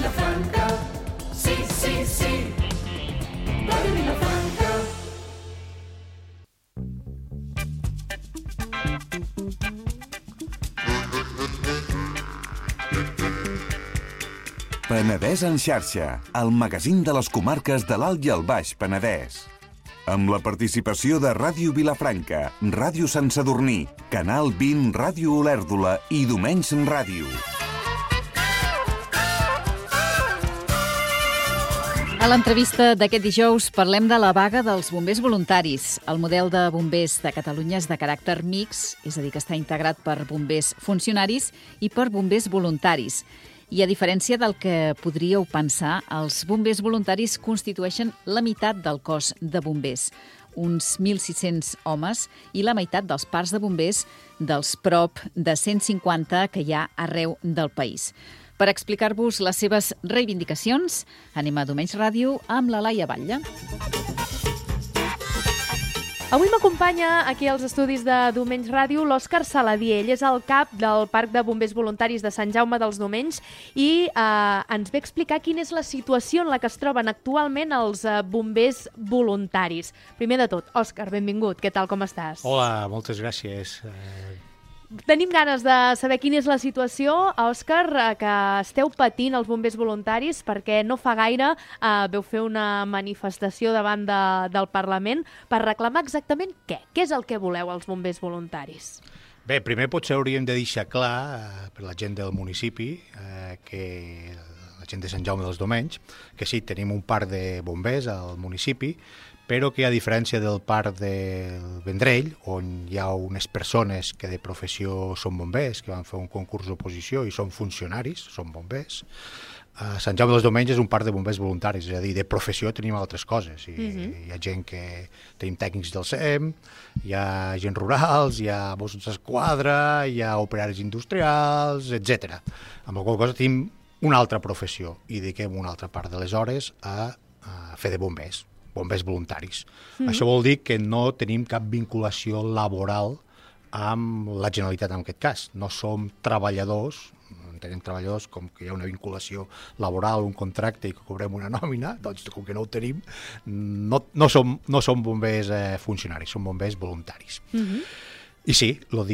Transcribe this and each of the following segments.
Vilafranca, sí, sí, sí. Ràdio Vilafranca. Penedès en xarxa, el magazín de les comarques de l'Alt i el Baix Penedès. Amb la participació de Ràdio Vilafranca, Ràdio Sant Sadurní, Canal 20, Ràdio Olèrdola i Domenys Ràdio. A l'entrevista d'aquest dijous parlem de la vaga dels bombers voluntaris. El model de bombers de Catalunya és de caràcter mix, és a dir, que està integrat per bombers funcionaris i per bombers voluntaris. I a diferència del que podríeu pensar, els bombers voluntaris constitueixen la meitat del cos de bombers, uns 1.600 homes, i la meitat dels parcs de bombers dels prop de 150 que hi ha arreu del país. Per explicar-vos les seves reivindicacions, anem a Domenys Ràdio amb la Laia Batlle. Avui m'acompanya aquí als estudis de Domenys Ràdio l'Òscar Saladier. Ell és el cap del Parc de Bombers Voluntaris de Sant Jaume dels Domenys i ens ve a explicar quina és la situació en la que es troben actualment els bombers voluntaris. Primer de tot, Òscar, benvingut. Què tal, com estàs? Hola, moltes gràcies. Tenim ganes de saber quina és la situació, Òscar, que esteu patint els bombers voluntaris, perquè no fa gaire veu fer una manifestació davant del Parlament per reclamar exactament què? Què és el que voleu els bombers voluntaris? Bé, primer potser hauríem de deixar clar per la gent del municipi, que la gent de Sant Jaume dels Domenys, que sí, tenim un parc de bombers al municipi, però que a diferència del parc del Vendrell, on hi ha unes persones que de professió són bombers, que van fer un concurs d'oposició i són funcionaris, són bombers, a Sant Jaume dels Domenys és un parc de bombers voluntaris, és a dir, de professió tenim altres coses. Hi ha gent que tenim tècnics del SEM, hi ha gent rurals, hi ha Mossos d'Esquadra, hi ha operaris industrials, etc. Amb la qual cosa tenim una altra professió i dediquem una altra part de les hores a fer de bombers voluntaris. Això vol dir que no tenim cap vinculació laboral amb la Generalitat en aquest cas. No som treballadors, entenem treballadors com que hi ha una vinculació laboral, un contracte i que cobrem una nòmina, doncs com que no ho tenim, no som bombers funcionaris, som bombers voluntaris. I sí, el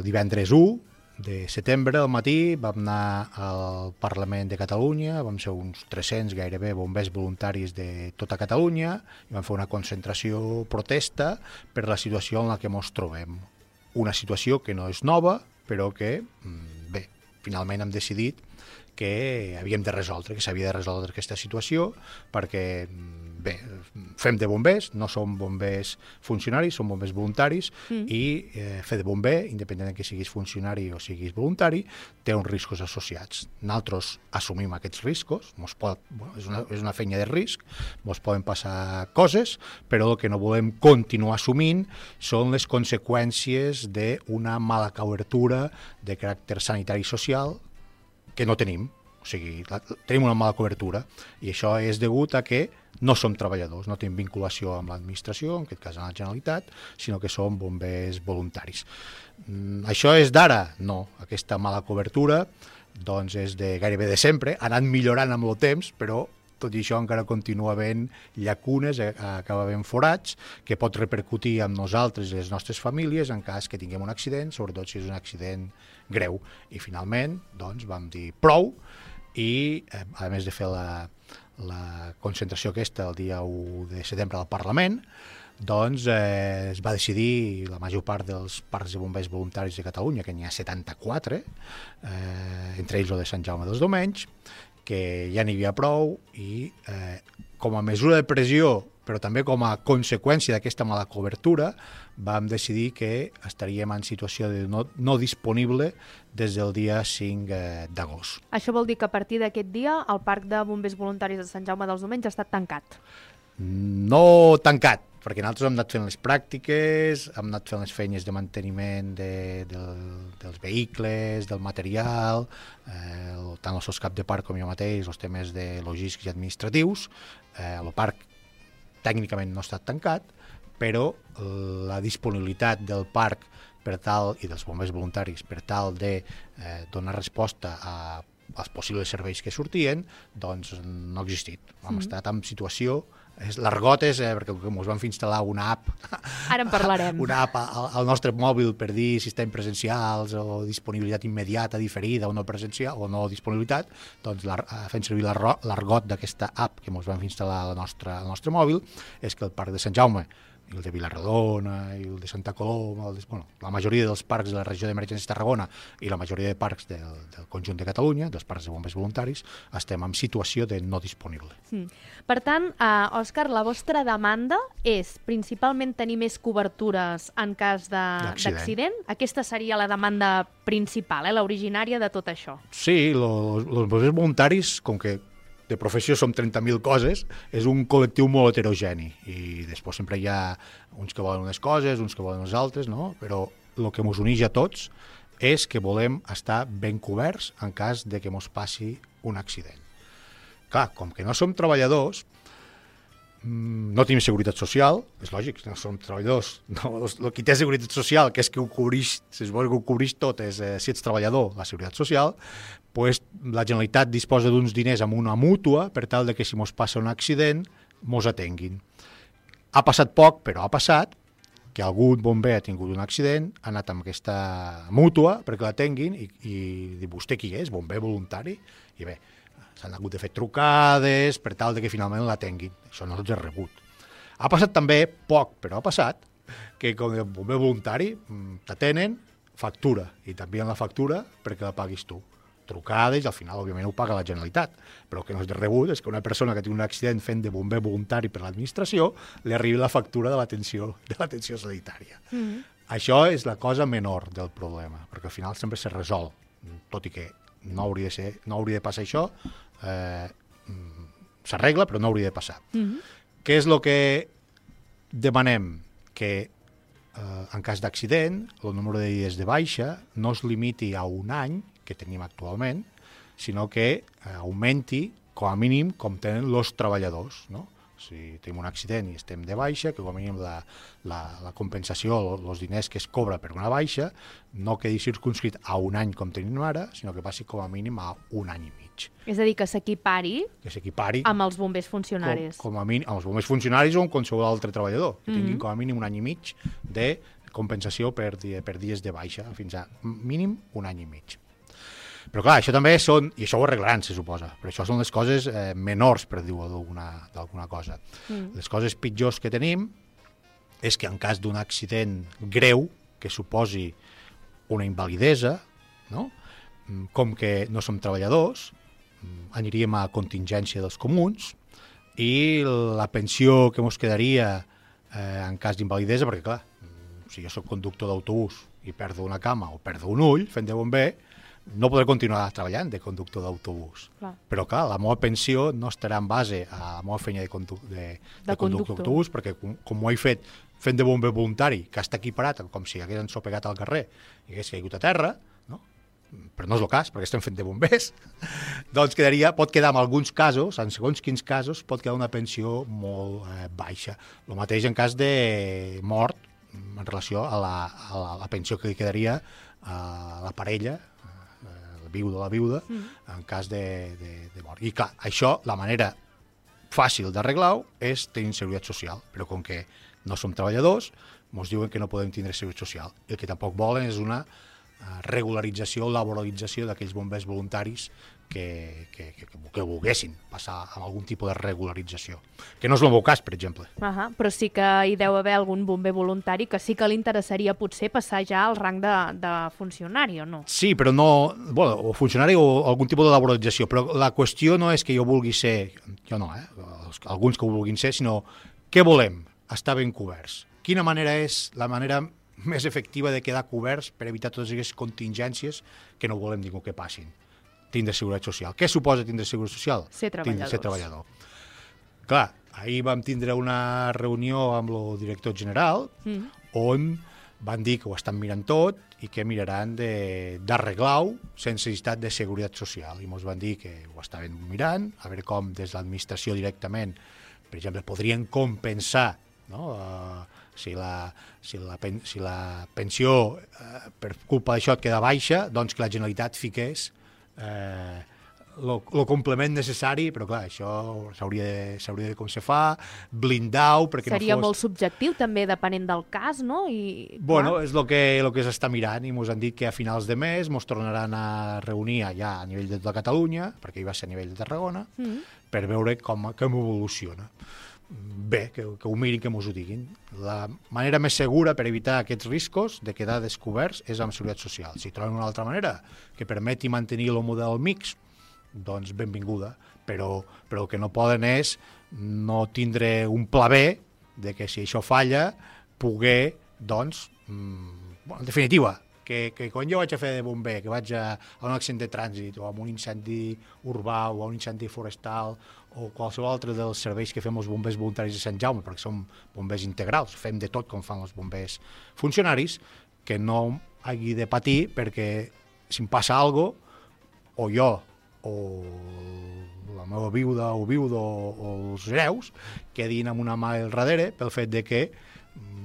divendres 1 de setembre, al matí, vam anar al Parlament de Catalunya, vam ser uns 300 gairebé bombers voluntaris de tota Catalunya i vam fer una concentració protesta per la situació en la que ens trobem. Una situació que no és nova, però que, bé, finalment hem decidit que havíem de resoldre, que s'havia de resoldre aquesta situació, perquè, bé, fem de bombers, no som bombers funcionaris, som bombers voluntaris, i fer de bomber, independentment que siguis funcionari o siguis voluntari, té uns riscos associats. Nosaltres assumim aquests riscos, és una feina de risc, ens poden passar coses, però el que no volem continuar assumint són les conseqüències d'una mala cobertura de caràcter sanitari i social que no tenim. O sigui, tenim una mala cobertura i això és degut a que no som treballadors, no tenim vinculació amb l'administració, en aquest cas amb la Generalitat, sinó que som bombers voluntaris. Això és d'ara? No. Aquesta mala cobertura doncs és gairebé de sempre, ha anat millorant amb el temps, però tot i això encara continua havent llacunes, acaba havent forats, que pot repercutir amb nosaltres i les nostres famílies en cas que tinguem un accident, sobretot si és un accident greu. I finalment, doncs, vam dir prou i, a més de fer la concentració aquesta el dia 1 de setembre al Parlament, doncs es va decidir la major part dels parcs de bombers voluntaris de Catalunya, que n'hi ha 74, entre ells el de Sant Jaume dels Domenys, que ja n'hi havia prou i com a mesura de pressió, però també com a conseqüència d'aquesta mala cobertura, vam decidir que estaríem en situació de no disponible des del dia 5 d'agost. Això vol dir que a partir d'aquest dia el Parc de Bombers Voluntaris de Sant Jaume dels Domenys ha estat tancat? No tancat, perquè nosaltres hem anat fent les pràctiques, hem anat fent les feines de manteniment dels vehicles, del material, tant els seus cap de parc com jo mateix, els temes de logístics i administratius. El parc tècnicament no ha estat tancat, però la disponibilitat del parc per tal, i dels bombers voluntaris, per tal de donar resposta a els possibles serveis que sortien, doncs no ha existit. Hem estat en situació... L'argot és, perquè ens van fer instal·lar una app, Ara en parlarem. una app al nostre mòbil per dir si estem presencials o disponibilitat immediata, diferida o no presencial o no disponibilitat, doncs fent servir l'argot d'aquesta app que ens van fer instal·lar al nostre mòbil és que el Parc de Sant Jaume, i el de Vilarrodona, i el de Santa Coloma, la majoria dels parcs de la regió d'Emergència de Tarragona i la majoria de parcs del conjunt de Catalunya, dels parcs de bombers voluntaris, estem en situació de no disponible. Per tant, Òscar, la vostra demanda és principalment tenir més cobertures en cas d'accident? Aquesta seria la demanda principal, l'originària de tot això? Sí, els bombers voluntaris, com que de professió som 30.000 coses, és un col·lectiu molt heterogeni i després sempre hi ha uns que volen unes coses, uns que volen unes altres, no? Però el que ens uneix a tots és que volem estar ben coberts en cas de que ens passi un accident. Clar, com que no som treballadors, no tenim seguretat social, és lògic, no som treballadors. No, qui té seguretat social, que és que ho cobreix, si es vol que ho cobreix tot, és si ets treballador, la seguretat social, pues, la Generalitat disposa d'uns diners amb una mútua per tal de que si mos passa un accident, mos atenguin. Ha passat poc, però ha passat, que algun bomber ha tingut un accident, ha anat amb aquesta mútua perquè l'atenguin i diu, vostè qui és? Bomber voluntari? I bé, s'han hagut de fer trucades per tal de que finalment l'atenguin. Això no tots és rebut. Ha passat també poc, però ha passat, que com a bomber voluntari t'atenen, factura, i també en la factura perquè la paguis tu. Trucades i al final, òbviament, ho paga la Generalitat. Però el que no és de rebut és que una persona que té un accident fent de bomber voluntari per l'administració li arribi la factura de l'atenció sanitària. Això és la cosa menor del problema, perquè al final sempre se resol, tot i que no hauria de passar això, s'arregla, però no hauria de passar. Què és el que demanem? Que en cas d'accident, el número de dies de baixa no es limiti a un any, que tenim actualment, sinó que augmenti, com a mínim, com tenen els treballadors, no? Si tenim un accident i estem de baixa, que com a mínim la compensació, els diners que es cobra per una baixa, no quedi circunscrit a un any com tenim ara, sinó que passi com a mínim a un any i mig. És a dir, que s'equipari amb els bombers funcionaris. Com a mínim, amb els bombers funcionaris o amb qualsevol altre treballador, que tinguin com a mínim un any i mig de compensació per dies de baixa, fins a mínim un any i mig. Però clar, això també són, i això ho arreglaran, se suposa, però això són les coses menors, per dir-ho d'alguna cosa. Les coses pitjors que tenim és que en cas d'un accident greu que suposi una invalidesa, no? Com que no som treballadors, aniríem a contingència dels comuns i la pensió que ens quedaria en cas d'invalidesa, perquè clar, si jo soc conductor d'autobús i perdo una cama o perdo un ull fent de bomber, no podré continuar treballant de conductor d'autobús. Però, clar, la meva pensió no estarà en base a la meva feina de conductor d'autobús, perquè com ho he fet fent de bomber voluntari, que està equiparat com si hagués ensopegat al carrer i hagués caigut a terra, no? Però no és el cas, perquè estem fent de bombers, doncs pot quedar en alguns casos, en segons quins casos, pot quedar una pensió molt baixa. El mateix en cas de mort en relació a la pensió que li quedaria a la parella, la viuda, en cas de mort. I clar, això, la manera fàcil d'arreglar-ho és tenir seguretat social, però com que no som treballadors, ens diuen que no podem tindre seguretat social. I el que tampoc volen és una regularització o laboralització d'aquells bombers voluntaris que volguessin passar amb algun tipus de regularització. Que no és el meu cas, per exemple. Però sí que hi deu haver algun bomber voluntari que sí que li interessaria potser passar ja al rang de funcionari, o no? Sí, però no... o funcionari o algun tipus de laboralització, però la qüestió no és que jo vulgui ser... Jo no, alguns que ho vulguin ser, sinó què volem? Estar ben coberts. Quina manera és la manera més efectiva de quedar coberts per evitar totes aquestes contingències que no volem ningú que passin? Tindre seguretat social. Què suposa tindre seguretat social? Ser treballador. Clar, ahir vam tindre una reunió amb el director general on van dir que ho estan mirant tot i que miraran d'arreglar-ho sense necessitat de seguretat social. I ens van dir que ho estaven mirant, a veure com des de l'administració directament, per exemple, podrien compensar, no? Si la pensió per culpa d'això et queda baixa, doncs que la Generalitat fiqués el complement necessari, però clar, això s'hauria de com se fa, blindar-ho perquè Seria no fos... molt subjectiu també, depenent del cas, no? Bueno, és el que s'està mirant i ens han dit que a finals de mes ens tornaran a reunir allà a nivell de tota Catalunya, perquè hi va ser a nivell de Tarragona, per veure com evoluciona. Bé, que ho mirin, que ens ho diguin. La manera més segura per evitar aquests riscos de quedar descoberts és amb Seguretat Social. Si troben una altra manera que permeti mantenir el model mix, doncs benvinguda, però el que no poden és no tindre un pla B de que si això falla, poder, doncs, en definitiva, que quan jo vaig a fer de bomber, que vaig a un accident de trànsit o a un incendi urbà o a un incendi forestal o qualsevol altre dels serveis que fem els bombers voluntaris de Sant Jaume, perquè som bombers integrals, fem de tot com fan els bombers funcionaris, que no hagi de patir perquè si em passa alguna cosa, o jo o la meva viuda o viudo o els hereus quedin amb una mà al darrere pel fet de que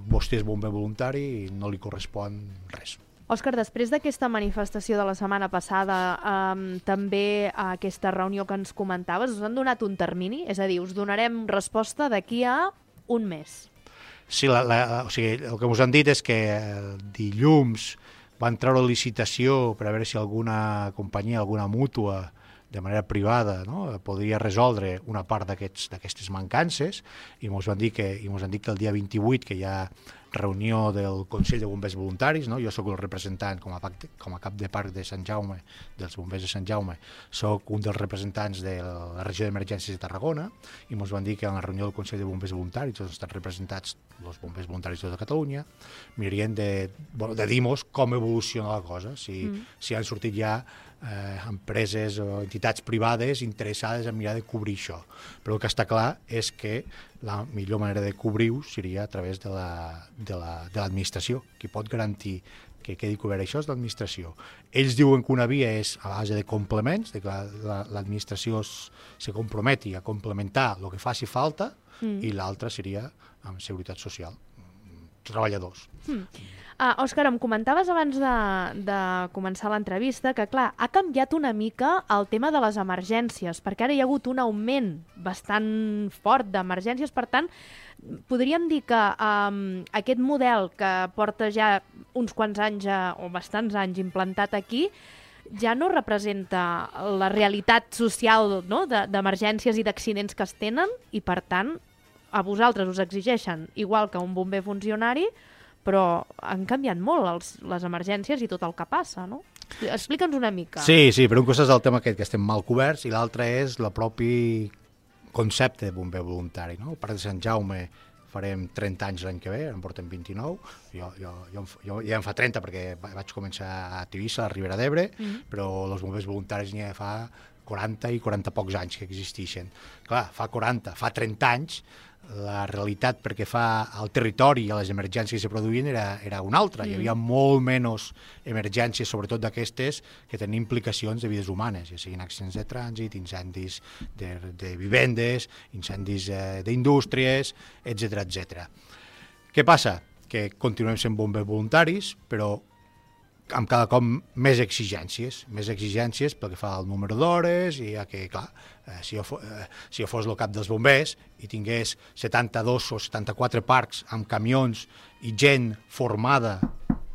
vostè és bomber voluntari i no li correspon res. Òscar, després d'aquesta manifestació de la setmana passada, també a aquesta reunió que ens comentaves, us han donat un termini? És a dir, us donarem resposta d'aquí a un mes. Sí, o sigui, el que us han dit és que dilluns van treure licitació per a veure si alguna companyia, alguna mútua, de manera privada, no? Podria resoldre una part d'aquestes mancances i ens han dit que el dia 28, que hi ha reunió del Consell de Bombers Voluntaris, no? Jo sóc el representant com a cap de parc de Sant Jaume, dels bombers de Sant Jaume, sóc un dels representants de la regió d'emergències de Tarragona i ens van dir que en la reunió del Consell de Bombers Voluntaris on estan representats els bombers voluntaris de tota Catalunya mirarien de dir-nos com evoluciona la cosa, si han sortit ja empreses o entitats privades interessades en mirar de cobrir això. Però el que està clar és que la millor manera de cobrir-ho seria a través de l'administració. Qui pot garantir que quedi cobert això és l'administració. Ells diuen que una via és a base de complements, de que l'administració se comprometi a complementar el que faci falta, i l'altra seria amb Seguretat Social, treballadors. Òscar, em comentaves abans de començar l'entrevista que, clar, ha canviat una mica el tema de les emergències, perquè ara hi ha hagut un augment bastant fort d'emergències, per tant, podríem dir que aquest model que porta ja uns quants anys o bastants anys implantat aquí ja no representa la realitat social, no?, d'emergències i d'accidents que es tenen i, per tant, a vosaltres us exigeixen igual que un bomber funcionari, però han canviat molt les emergències i tot el que passa, no? Explica'ns una mica. Sí, per un costat és el tema que estem mal coberts i l'altre és el propi concepte de bomber voluntari, no? Al Parc de Sant Jaume farem 30 anys l'any que ve, en portem 29, jo ja en fa 30 perquè vaig començar a Tivissa, a Ribera d'Ebre, però els bombers voluntaris n'hi ha fa 40 i 40 pocs anys que existeixen. Clar, fa 30 anys, la realitat perquè fa al territori i a les emergències que se produïen era una altra. Hi havia molt menys emergències, sobretot d'aquestes, que tenien implicacions de vides humanes, ja siguin accidents de trànsit, incendis de vivendes, incendis d'indústries, etc. Què passa? Que continuem sent bombers voluntaris, però amb cada cop més exigències pel que fa al número d'hores i que, clar, si jo fos el cap dels bombers i tingués 72 o 74 parcs amb camions i gent formada,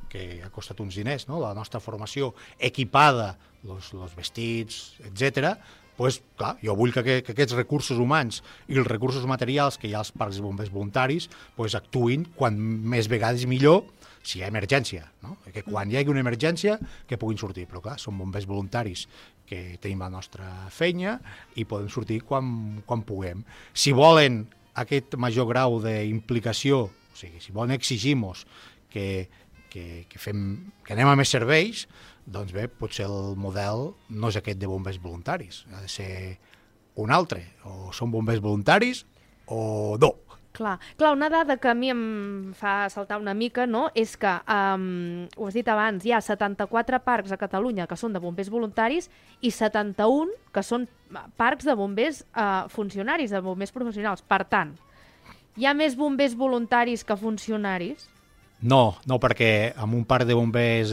que ha costat uns diners, no?, la nostra formació equipada, els vestits, etc., doncs, clar, jo vull que aquests recursos humans i els recursos materials que hi ha als parcs de bombers voluntaris actuïn quan més vegades millor si hi ha emergència, no? Que quan hi hagi una emergència que puguin sortir, però clar, són bombers voluntaris que tenim la nostra feina i podem sortir quan puguem. Si volen aquest major grau d'implicació, o sigui, si volen exigir-nos que anem a més serveis, doncs bé, potser el model no és aquest de bombers voluntaris, ha de ser un altre, o són bombers voluntaris o no. Clar, una dada que a mi em fa saltar una mica, no?, és que, ho has dit abans, hi ha 74 parcs a Catalunya que són de bombers voluntaris i 71 que són parcs de bombers funcionaris, de bombers professionals. Per tant, hi ha més bombers voluntaris que funcionaris No, perquè amb un parc de bombers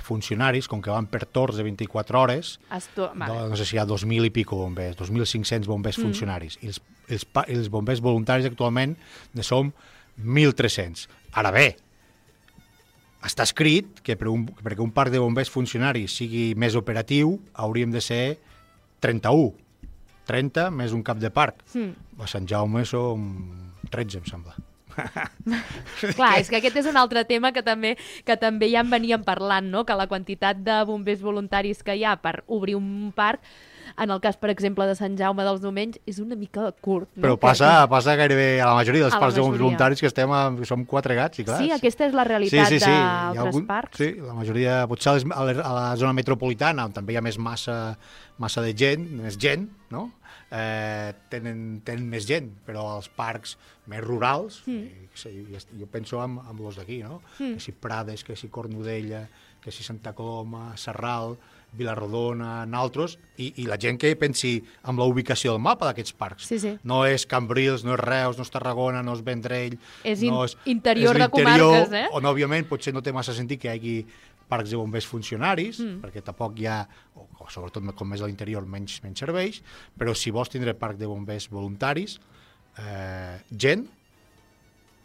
funcionaris, com que van per torns de 24 hores, no sé si hi ha 2.000 i pico bombers, 2.500 bombers funcionaris, i els bombers voluntaris actualment ne som 1.300. Ara bé, està escrit que perquè un parc de bombers funcionaris sigui més operatiu hauríem de ser 31. 30 més un cap de parc. A Sant Jaume som 13, em sembla. Clar, és que aquest és un altre tema que també ja en veníem parlant, no? Que la quantitat de bombers voluntaris que hi ha per obrir un parc, en el cas, per exemple, de Sant Jaume dels Domenys, és una mica curt. No? Però passa gairebé a la majoria dels parcs de bombers voluntaris que som 4 gats, i clar. Sí, aquesta és la realitat d'altres parcs. Sí, la majoria, potser a la zona metropolitana, on també hi ha més massa de gent, més gent, no? Tenen més gent, però als parcs més rurals, jo penso en els d'aquí, no? Que si Prades, que si Cornudella, que si Santa Coloma, Sarral, Vilarrodona, altres, i la gent que pensi en la ubicació del mapa d'aquests parcs. Sí. No és Cambrils, no és Reus, no és Tarragona, no és Vendrell... És interior de comarques, on òbviament potser no té massa sentit que hi hagi parcs de bombers funcionaris, perquè tampoc hi ha, o sobretot com més a l'interior, menys serveis, però si vols tindre parc de bombers voluntaris, gent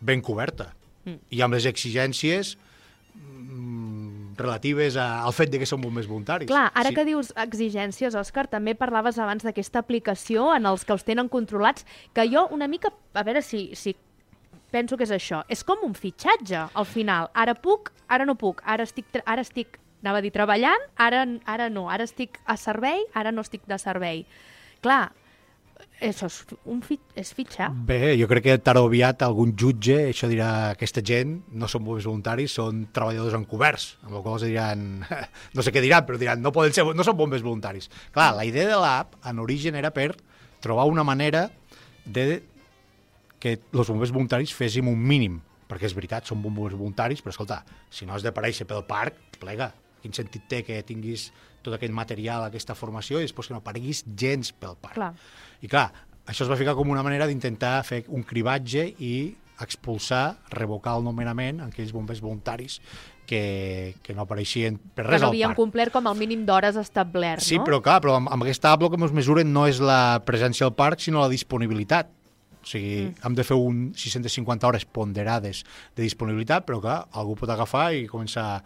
ben coberta, i amb les exigències relatives al fet de que són bombers voluntaris. Clar, ara que dius exigències, Òscar, també parlaves abans d'aquesta aplicació en els que els tenen controlats, que jo una mica, a veure si penso que és això. És com un fitxatge, al final. Ara puc, ara no puc. Ara estic anava a dir treballant, ara no. Ara estic a servei, ara no estic de servei. Clar, això és fitxar. Bé, jo crec que tard o aviat algun jutge això dirà, aquesta gent no són bombers voluntaris, són treballadors encoberts, amb la qual cosa diran, no sé què diran, però diran, no són bombers voluntaris. Clar, la idea de l'app en origen era per trobar una manera de que els bombers voluntaris féssim un mínim, perquè és veritat, són bombers voluntaris, però escolta, si no has d'aparèixer pel parc, plega, quin sentit té que tinguis tot aquest material, aquesta formació, i després que no apareguis gens pel parc. Clar. I clar, això es va ficar com una manera d'intentar fer un cribatge i expulsar, revocar el nomenament a aquells bombers voluntaris que no apareixien per res al parc. Que no havien complert com el mínim d'hores establert, sí, no? Sí, però amb aquesta app el que ens mesuren no és la presència al parc, sinó la disponibilitat. O sigui, hem de fer 650 hores ponderades de disponibilitat, però clar, algú pot agafar i començar,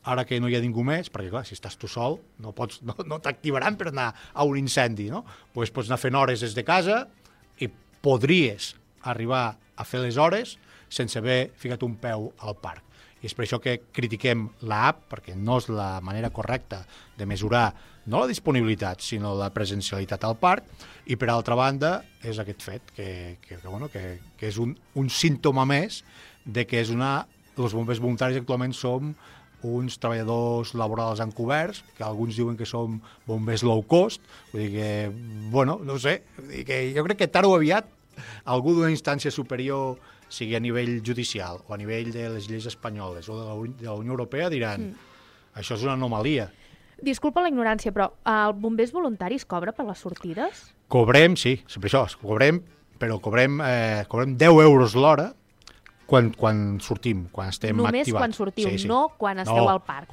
ara que no hi ha ningú més, perquè clar, si estàs tu sol, no t'activaran per anar a un incendi, no? Pues pots anar fent hores des de casa i podries arribar a fer les hores sense haver ficat un peu al parc. I és per això que critiquem l'app, perquè no és la manera correcta de mesurar no la disponibilitat, sinó la presencialitat al parc, i per altra banda és aquest fet, que és un símptoma més de que els bombers voluntaris actualment som uns treballadors laborals encoberts, que alguns diuen que som bombers low cost, vull dir que, bueno, no sé, que jo crec que tard o aviat algú d'una instància superior, sigui a nivell judicial o a nivell de les lleis espanyoles o de la Unió Europea, diran això és una anomalia. Disculpa la ignorància, però el bombers voluntaris cobra per les sortides? Cobrem, sí, sempre això, però cobrem 10 euros l'hora quan sortim, quan estem activats. Només quan sortiu, no quan esteu al parc,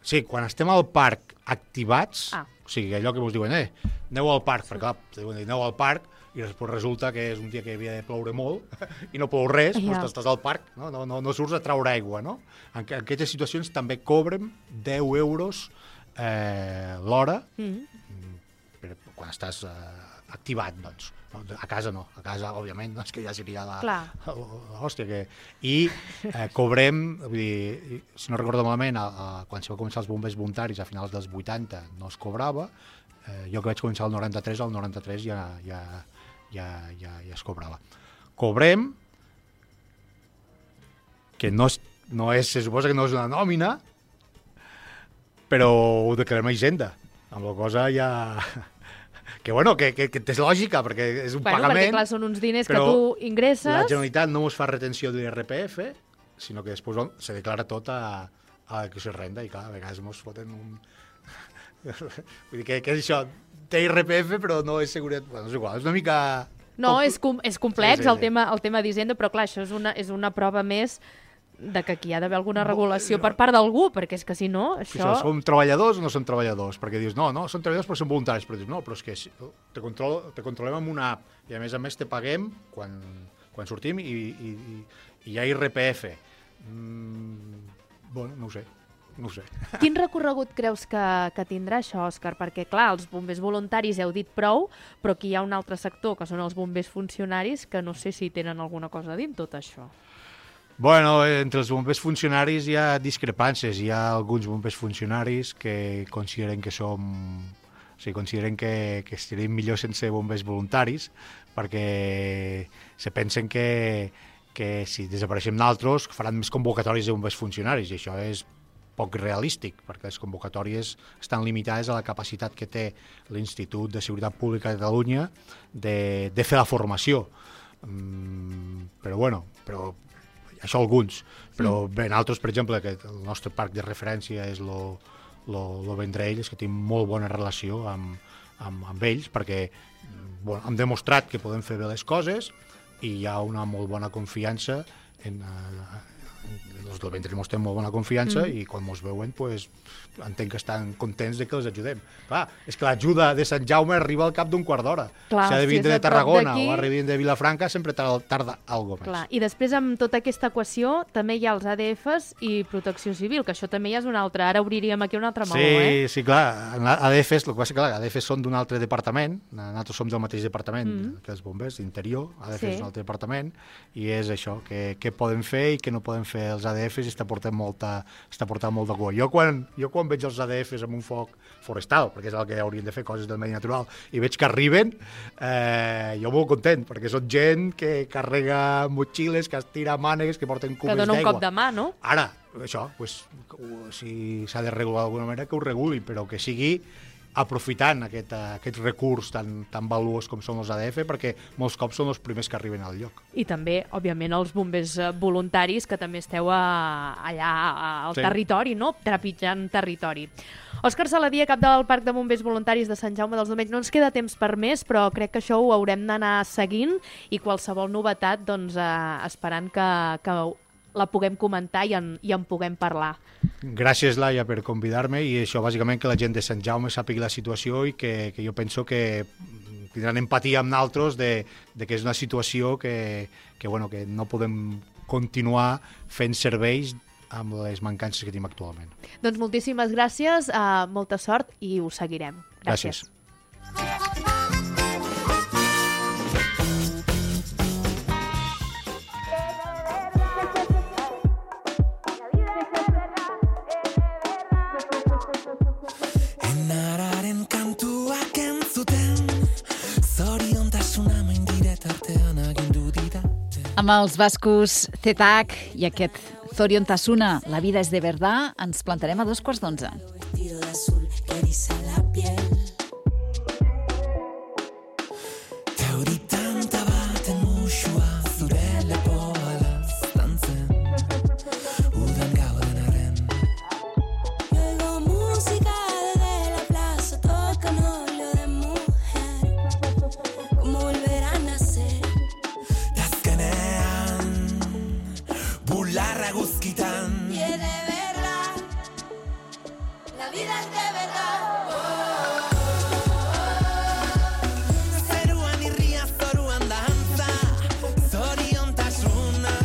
Sí, quan estem al parc activats, o sigui, allò que ens diuen, aneu al parc, perquè clar, aneu al parc, i després resulta que és un dia que havia de ploure molt i no plou res, doncs estàs al parc, no surts a traure aigua, no? En aquestes situacions també cobrem 10 euros l'hora quan estàs activat, doncs. A casa no, a casa, òbviament, és que ja seria l'hòstia. I cobrem, vull dir, si no recordo malament, quan se va començar els bombers voluntaris a finals dels 80 no es cobrava, jo que vaig començar el 93 ja es cobrava. Cobrem, que se suposa que no és una nòmina, però ho declarem a Hisenda, amb la cosa ja... Que bueno, que és lògica, perquè és un pagament... Perquè clar, són uns diners que tu ingresses... La Generalitat no ens fa retenció de l'IRPF, sinó que després se declara tot a la declaració de renda, i clar, a vegades ens foten un... Vull dir, que és això? Té IRPF, però no és seguretat... Bueno, és igual, és una mica... No, és complex el tema d'Hisenda, però clar, això és una prova més de que aquí ha d'haver alguna regulació per part d'algú, perquè és que si no, això... Som treballadors o no som treballadors? Perquè dius, no, són treballadors però són voluntaris, però dius, no, però és que te controlem amb una app i a més te paguem quan sortim i hi ha IRPF. Bueno, no ho sé. Quin recorregut creus que tindrà això, Òscar? Perquè, clar, els bombers voluntaris heu dit prou, però aquí hi ha un altre sector, que són els bombers funcionaris, que no sé si tenen alguna cosa a dir en tot això. Bueno, entre els bombers funcionaris hi ha discrepàncies. Hi ha alguns bombers funcionaris que consideren que consideren que estaríem millor sense bombers voluntaris, perquè se pensen que si desapareixem d'altres faran més convocatòries de bombers funcionaris, i això és poc realístic, perquè les convocatòries estan limitades a la capacitat que té l'Institut de Seguretat Pública de Catalunya de fer la formació. Però això alguns. Però bé, altres, per exemple, que el nostre parc de referència és lo Vendrell, és que tenim molt bona relació amb ells, perquè hem demostrat que podem fer bé les coses i hi ha una molt bona confiança els del Vendrell mos tenen molt bona confiança i quan mos veuen entenc que estan contents de que els ajudem. Clar, és que l'ajuda de Sant Jaume arriba al cap d'un quart d'hora. Si ha de vindre de Tarragona o arriba de Vilafranca sempre tarda alguna cosa més. Clar, i després amb tota aquesta equació també hi ha els ADFs i Protecció Civil, que això també ja és un altre. Ara obriríem aquí un altre meló, Sí, clar. ADFs, el que passa que ADFs són d'un altre departament, nosaltres som del mateix departament que els bombers, Interior, ADFs és un altre departament, i és això, què poden fer i què no poden fer els ADFs, i està portant molt de cua. Jo quan veig els ADFs amb un foc forestal, perquè és el que haurien de fer, coses del medi natural, i veig que arriben, jo molt content, perquè són gent que carrega motxilles, que estira mànegues, que porten cubes d'aigua. Que dona un cop de mà, no? Ara, això, si s'ha de regular d'alguna manera, que ho reguli, però que sigui aprofitant aquest recurs tan valuós com són els ADF, perquè molts cops són els primers que arriben al lloc. I també, òbviament, els bombers voluntaris, que també esteu allà al territori, no? Trepitjant territori. Òscar Saladié, cap del Parc de Bombers Voluntaris de Sant Jaume dels Domenys. No ens queda temps per més, però crec que això ho haurem d'anar seguint i qualsevol novetat, doncs, esperant que la puguem comentar i en puguem parlar. Gràcies, Laia, per convidar-me, i això, bàsicament, que la gent de Sant Jaume sàpiga la situació i que jo penso que tindran empatia amb nosaltres de que és una situació que no podem continuar fent serveis amb les mancances que tenim actualment. Doncs moltíssimes gràcies, molta sort i ho seguirem. Gràcies. Amb els bascos Zetak i aquest Zoriontasuna, La vida es de verdad, ens plantarem a 11:15. Vestido de azul que eriza la piel. Teoritanta baten muxua zure lepoa laztantzen. Udan gauden arren. Y oigo música desde la plaza, tocan óleo de mujer. Como volver a nacer. Tazkenean, bularra guzkitan. Y es de verdad, la vida es de verdad. Zeruan irria, zoruan dantza, zoriontasuna.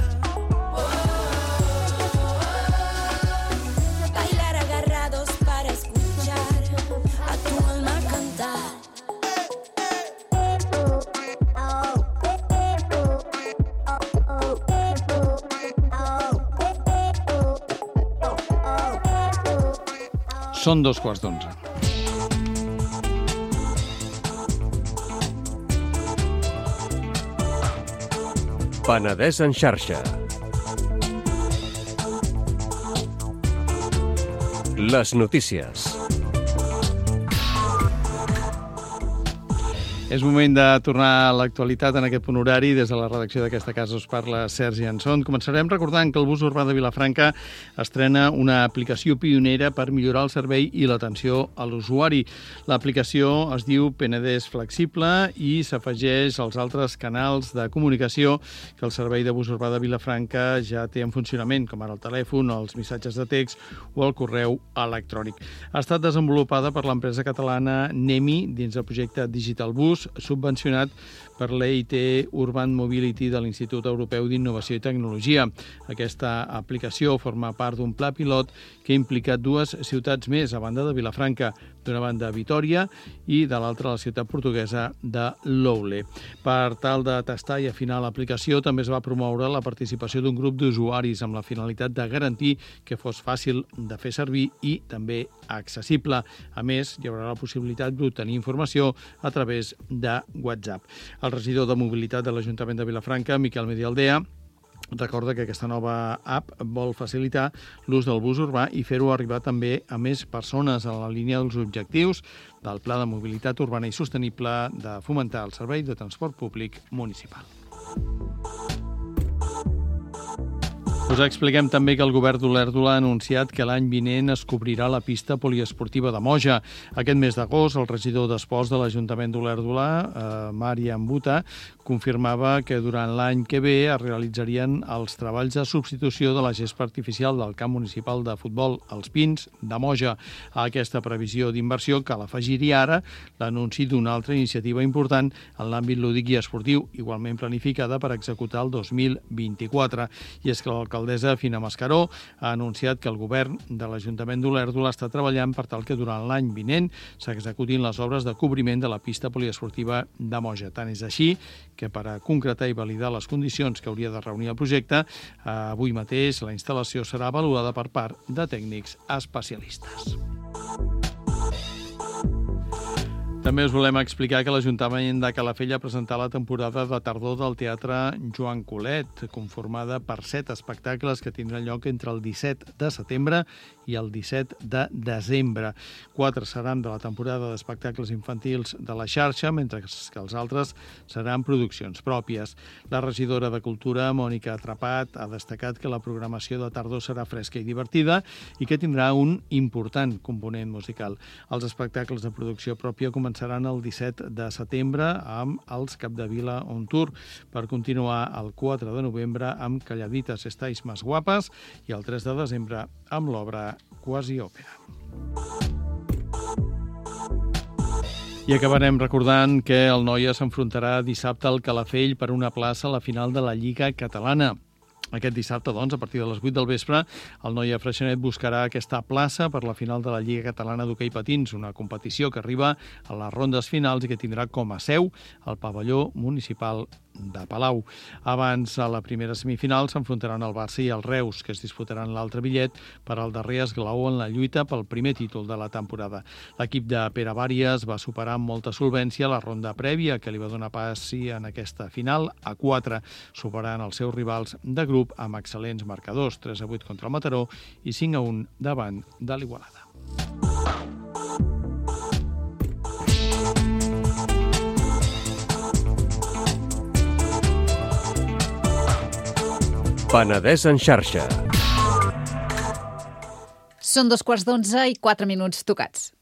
Bailar agarrados para escuchar a tu alma cantar. Són 11:15. Penedès en xarxa. Les notícies. És moment de tornar a l'actualitat en aquest punt horari. Des de la redacció d'aquesta casa us parla Sergi Anson. Començarem recordant que el bus urbà de Vilafranca estrena una aplicació pionera per millorar el servei i l'atenció a l'usuari. L'aplicació es diu Penedès Flexible i s'afegeix als altres canals de comunicació que el servei de bus urbà de Vilafranca ja té en funcionament, com ara el telèfon, els missatges de text o el correu electrònic. Ha estat desenvolupada per l'empresa catalana Nemi dins del projecte Digital Bus, subvencionat per l'EIT Urban Mobility de l'Institut Europeu d'Innovació i Tecnologia. Aquesta aplicació forma part d'un pla pilot que ha implicat dues ciutats més, a banda de Vilafranca, d'una banda Vitòria i de l'altra la ciutat portuguesa de Loule. Per tal de tastar i afinar l'aplicació, també es va promoure la participació d'un grup d'usuaris amb la finalitat de garantir que fos fàcil de fer servir i també accessible. A més, hi haurà la possibilitat d'obtenir informació a través de WhatsApp. El regidor de Mobilitat de l'Ajuntament de Vilafranca, Miquel Medialdea, recorda que aquesta nova app vol facilitar l'ús del bus urbà i fer-ho arribar també a més persones en la línia dels objectius del Pla de Mobilitat Urbana i Sostenible de fomentar el servei de transport públic municipal. Us expliquem també que el govern d'Olèrdola ha anunciat que l'any vinent es cobrirà la pista poliesportiva de Moja. Aquest mes d'agost, el regidor d'Esports de l'Ajuntament d'Olèrdola, Mària Ambuta, confirmava que durant l'any que ve es realitzarien els treballs de substitució de la gespa artificial del camp municipal de futbol Els Pins de Moja. A aquesta previsió d'inversió cal afegir-hi ara l'anunci d'una altra iniciativa important en l'àmbit lúdic i esportiu, igualment planificada per executar el 2024. I és que l'alcaldessa Fina Mascaró ha anunciat que el govern de l'Ajuntament d'Olèrdola està treballant per tal que durant l'any vinent s'executin les obres de cobriment de la pista poliesportiva de Moja. Tant és així que per a concretar i validar les condicions que hauria de reunir el projecte, avui mateix la instal·lació serà avaluada per part de tècnics especialistes. També us volem explicar que l'Ajuntament de Calafell ha presentat la temporada de tardor del Teatre Joan Colet, conformada per 7 espectacles que tindran lloc entre el 17 de setembre i el 17 de desembre. 4 seran de la temporada d'espectacles infantils de la xarxa, mentre que els altres seran produccions pròpies. La regidora de Cultura, Mònica Atrapat, ha destacat que la programació de tardor serà fresca i divertida i que tindrà un important component musical. Els espectacles de producció pròpia començaran el 17 de setembre amb els Capdevila on Tour, per continuar el 4 de novembre amb Calladitas estáis más guapas i el 3 de desembre amb l'obra Quasi Òpera. I acabarem recordant que el Noia s'enfrontarà dissabte al Calafell per una plaça a la final de la Lliga Catalana. Aquest dissabte, doncs, a partir de les 8 del vespre, el Noia Freixenet buscarà aquesta plaça per la final de la Lliga Catalana d'Hoquei Patins, una competició que arriba a les rondes finals i que tindrà com a seu el pavelló municipal de Palau. Abans, a la primera semifinal, s'enfrontaran el Barça i el Reus, que es disputaran l'altre bitllet per al darrer esglaó en la lluita pel primer títol de la temporada. L'equip de Pere Bàries va superar amb molta solvència la ronda prèvia, que li va donar passi en aquesta final a 4, superant els seus rivals de grup amb excel·lents marcadors, 3-8 contra el Mataró i 5-1 davant de l'Igualada. Penedès en xarxa. Són 2:15 i 4 minuts tocats.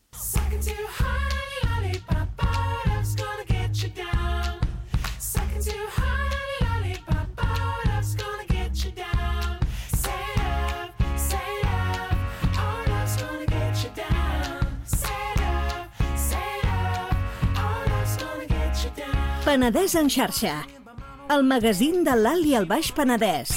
Penedès en xarxa, el magazín de l'Alt i el Baix Penedès.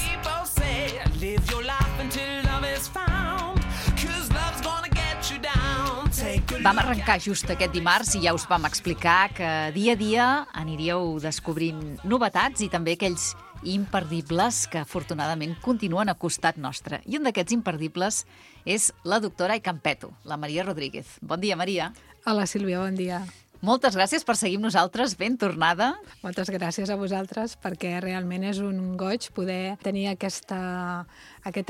Vam arrencar just aquest dimarts i ja us vam explicar que dia a dia aniríeu descobrint novetats i també aquells imperdibles que afortunadament continuen a costat nostre. I un d'aquests imperdibles és la doctora Icampeto, la Maria Rodríguez. Bon dia, Maria. Hola, Sílvia, bon dia. Moltes gràcies per seguir amb nosaltres. Ben tornada. Moltes gràcies a vosaltres, perquè realment és un goig poder tenir aquest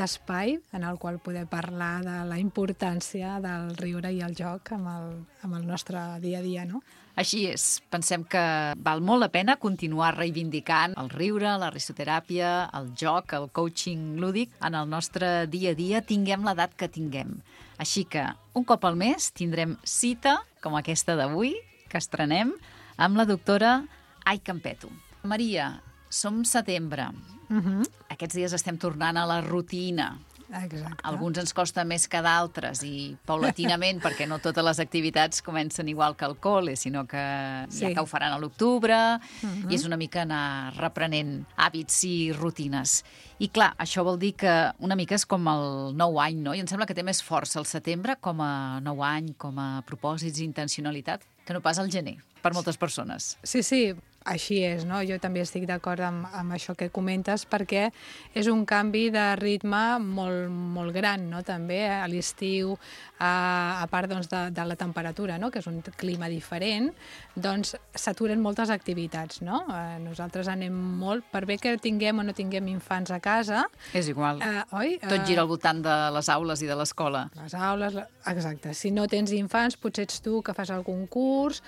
espai en el qual poder parlar de la importància del riure i el joc amb el nostre dia a dia, no? Així és. Pensem que val molt la pena continuar reivindicant el riure, la risoteràpia, el joc, el coaching lúdic en el nostre dia a dia, tinguem l'edat que tinguem. Així que un cop al mes tindrem cita, com aquesta d'avui, que estrenem, amb la doctora Ai Campeto. Maria, som setembre. Aquests dies estem tornant a la rutina. Exacte. Alguns ens costa més que d'altres i paulatinament, perquè no totes les activitats comencen igual que el col·le, sinó que ja que ho faran a l'octubre, i és una mica anar reprenent hàbits i rutines. I clar, això vol dir que una mica és com el nou any, no? I em sembla que té més força el setembre com a nou any, com a propòsits i intencionalitat, que no pas el gener, per moltes persones. Sí, així és, no? Jo també estic d'acord amb això que comentes, perquè és un canvi de ritme molt, molt gran, no? També a l'estiu, a part doncs, de la temperatura, no? Que és un clima diferent, doncs s'aturen moltes activitats, no? Nosaltres anem molt, per bé que tinguem o no tinguem infants a casa... És igual. Oi? Tot gira al voltant de les aules i de l'escola. Les aules, exacte. Si no tens infants, potser ets tu que fas algun curs